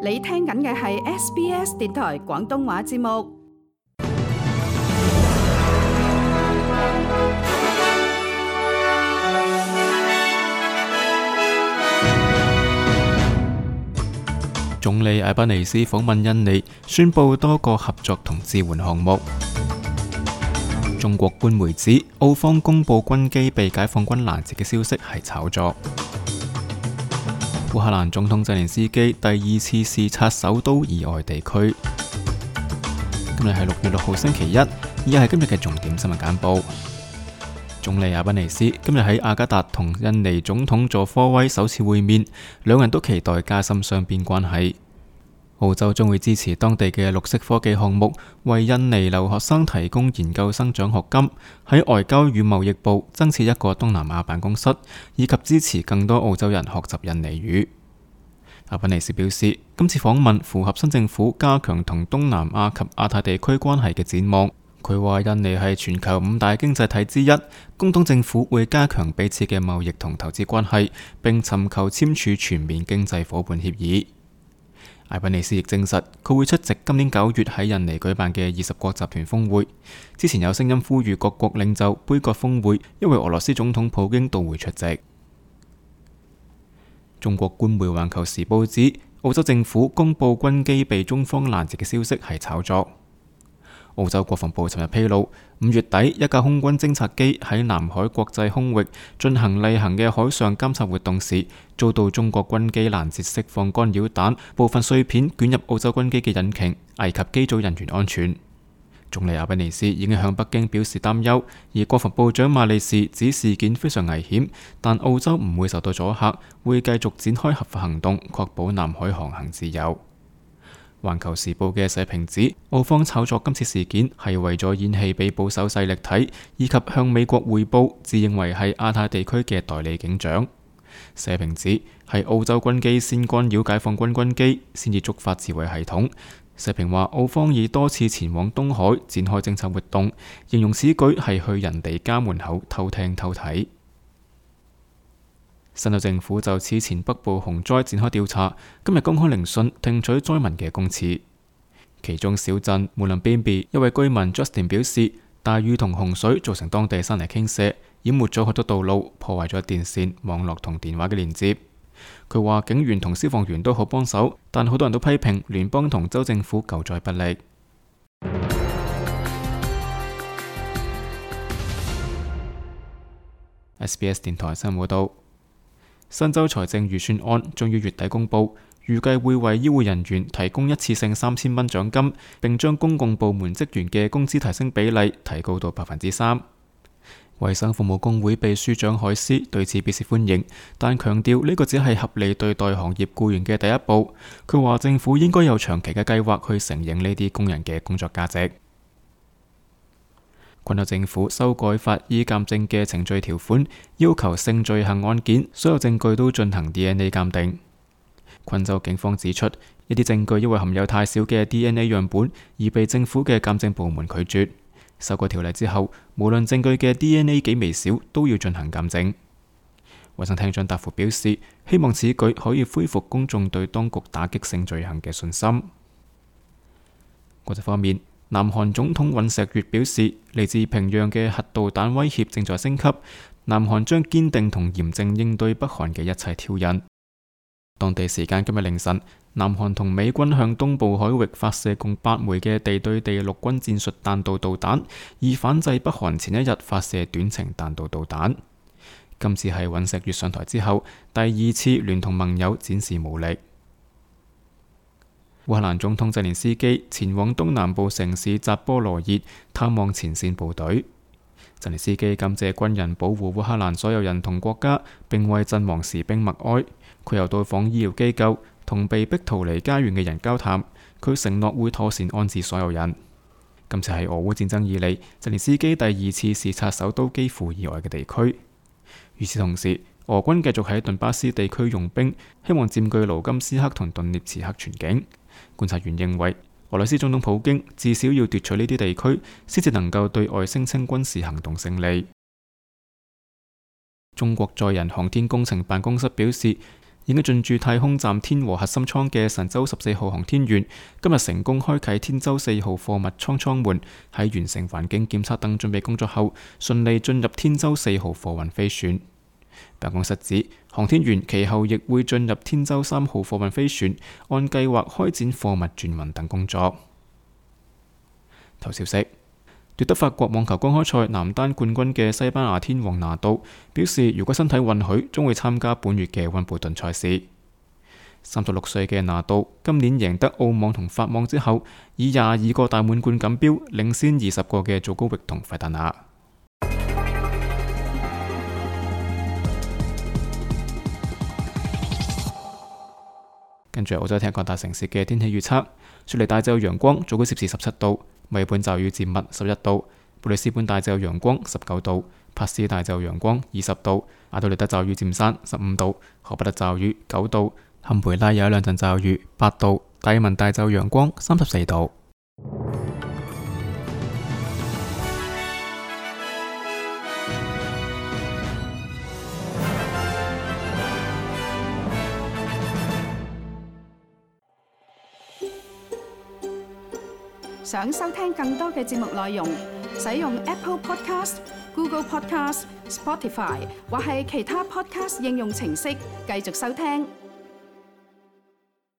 你聽緊嘅係 SBS 電台廣東話節目。總理艾賓尼斯訪問印尼，宣布多個合作同支援項目。中國官媒指澳方公布軍機被解放軍攔截嘅消息係炒作。烏克蘭總統澤連斯基第二次視察首都以外地區。今日係6月6號星期一，以下係今日嘅重點新聞簡報。總理艾賓尼斯今日喺雅加達同印尼總統佐科威首次會面，兩人都期待加深雙邊關係。澳洲將會支持當地嘅綠色科技項目，為印尼留學生提供研究生獎學金，喺外交與貿易部增設一個東南亞辦公室，以及支持更多澳洲人學習印尼語。阿賓尼斯表示，今次訪問符合新政府加強同東南亞及亞太地區關係嘅展望。佢話印尼係全球5大經濟體之一，工黨政府會加強彼此嘅貿易同投資關係，並尋求簽署全面經濟夥伴協議。艾賓尼斯亦證實，佢會出席今年9月喺印尼舉辦嘅20國集團峰會。之前有聲音呼籲各國領袖杯葛峰會，因為俄羅斯總統普京到會出席。中國官媒《環球時報》指，澳洲政府公布軍機被中方攔截嘅消息係炒作。澳洲國防部尋日披露，5月底一架空軍偵察機喺南海國際空域進行例行嘅海上監察活動時，遭到中國軍機攔截釋放干擾彈，部分碎片捲入澳洲軍機嘅引擎，危及機組人員安全。總理阿賓尼斯已經向北京表示擔憂，而國防部長馬利士指事件非常危險，但澳洲唔會受到阻嚇，會繼續展開合法行動，確保南海航行自由。環球時報嘅社評指，澳方炒作今次事件係為咗演戲俾保守勢力睇，以及向美國匯報自認為係亞太地區嘅代理警長。社評指係澳洲軍機先干擾解放軍軍機，先至觸發自衛系統。社評話澳方已多次前往東海展開偵察活動，形容此舉係去人哋家門口偷聽偷睇。新州政府就此前北部洪災展開調查，今日公開聆訊聽取災民嘅供詞。其中小鎮穆林邊比一位居民 Justin 表示，大雨同洪水造成當地山泥傾瀉，淹沒咗好多道路，破壞咗電線、網絡同電話嘅連接。佢話警員同消防員都好幫手，但好多人都批評聯邦同州政府救災不力。SBS 電台新聞報道。新州財政預算案將於月底公布，預計會為醫護人員提供一次性3000蚊獎金，並將公共部門職員嘅工資提升比例提高到3%。衛生服務工會秘書長海斯對此表示歡迎，但強調呢個只係合理對待行業僱員嘅第一步。佢話政府應該有長期嘅計劃去承認呢啲工人嘅工作價值。昆州政府修改法醫鑑證嘅程序條款，要求性罪行案件所有證據都進行 DNA 鑑定。昆州警方指出，一啲證據因為含有太少嘅 DNA 樣本，而被政府嘅鑑證部門拒絕。修改條例之後，無論證據嘅 DNA 幾微小，都要進行鑑證。衛生廳長達夫表示，希望此舉可以恢復公眾對當局打擊性罪行嘅信心。國際方面，南韓總統尹錫悅表示，嚟自平壤嘅核導彈威脅正在升級，南韓將堅定同嚴正應對北韓嘅一切挑釁。當地時間今日凌晨，南韓同美軍向東部海域發射共8枚嘅地對地陸軍戰術彈道導彈，以反制北韓前一日發射短程彈道導彈。今次係尹錫悅上台之後第2次聯同盟友展示武力。烏克蘭總統澤連斯基前往東南部城市扎波羅熱探望前線部隊。澤連斯基感謝軍人保護烏克蘭所有人同國家，並為陣亡士兵默哀。佢又到訪醫療機構，同被逼逃離家園嘅人交談。佢承諾會妥善安置所有人。今次係俄烏戰爭以嚟澤連斯基第2次視察首都基輔以外嘅地區。與此同時，俄軍繼續喺頓巴斯地區用兵，希望佔據盧甘斯克同頓涅茨克全境。觀察員認為，俄羅斯總統普京至少要奪取呢啲地區，先至能夠對外聲稱軍事行動勝利。中國載人航天工程辦公室表示，已經進駐太空站天和核心艙嘅神舟14號航天員，今日成功開啟天舟4號貨物艙門，喺完成環境檢測等準備工作後，順利進入天舟4號貨運飛船。辦公室指，航天員其後亦會進入天舟3號貨運飛船，按計劃開展貨物轉運等工作。頭消息。奪得法國網球公開賽男單冠軍嘅西班牙天王拿度表示，如果身體允許，將會參加本月嘅溫布頓賽事。36歲嘅拿度今年贏得澳網同法網之後，以22個大滿貫錦標領先20個嘅祖高域同費達拿。跟住澳洲聽各大城市嘅天氣預測：雪梨大致有陽光，最高攝氏17度；墨爾本驟雨漸密11度；布里斯本大致有陽光19度；珀斯大致有陽光20度；阿德萊德驟雨漸散15度；荷伯特驟雨9度；坎培拉有一兩陣驟雨8度；達爾文大致有陽光34度。想收聽更多嘅節目內容，使用 Apple Podcast、Google Podcast、Spotify 或係其他 Podcast 應用程式繼續收聽。